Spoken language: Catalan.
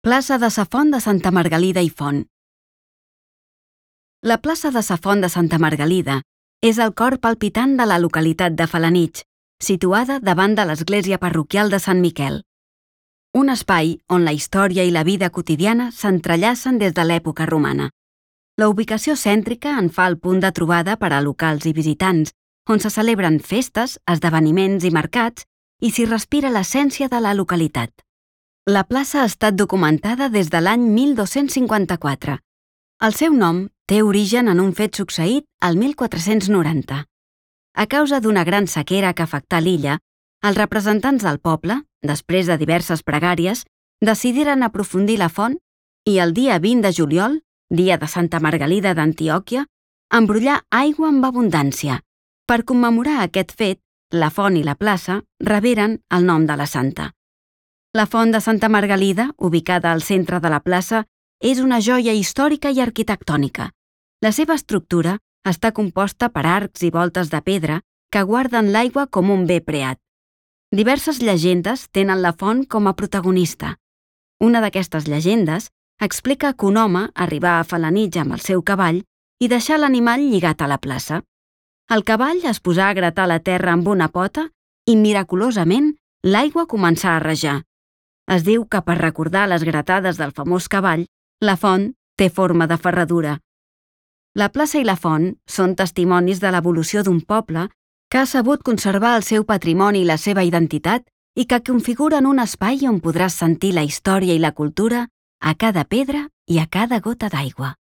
Plaça de sa Font de Santa Margalida i Font. La plaça de sa Font de Santa Margalida és el cor palpitant de la localitat de Felanitx, situada davant de l'església parroquial de Sant Miquel. Un espai on la història i la vida quotidiana s'entrellacen des de l'època romana. La ubicació cèntrica en fa el punt de trobada per a locals i visitants, on se celebren festes, esdeveniments i mercats i s'hi respira l'essència de la localitat. La plaça ha estat documentada des de l'any 1254. El seu nom té origen en un fet succeït al 1490. A causa d'una gran sequera que afectà l'illa, els representants del poble, després de diverses pregàries, decidiren aprofundir la font i el dia 20 de juliol, dia de Santa Margalida d'Antioquia, embrollar aigua amb abundància. Per commemorar aquest fet, la font i la plaça reberen el nom de la santa. La font de Santa Margalida, ubicada al centre de la plaça, és una joia històrica i arquitectònica. La seva estructura està composta per arcs i voltes de pedra que guarden l'aigua com un bé preat. Diverses llegendes tenen la font com a protagonista. Una d'aquestes llegendes explica que un home arribà a Felanitx amb el seu cavall i deixà l'animal lligat a la plaça. El cavall es posà a gratar la terra amb una pota i, miraculosament, l'aigua començà a rajar. Es diu que per recordar les gratades del famós cavall, la font té forma de ferradura. La plaça i la font són testimonis de l'evolució d'un poble que ha sabut conservar el seu patrimoni i la seva identitat i que configuren un espai on podràs sentir la història i la cultura a cada pedra i a cada gota d'aigua.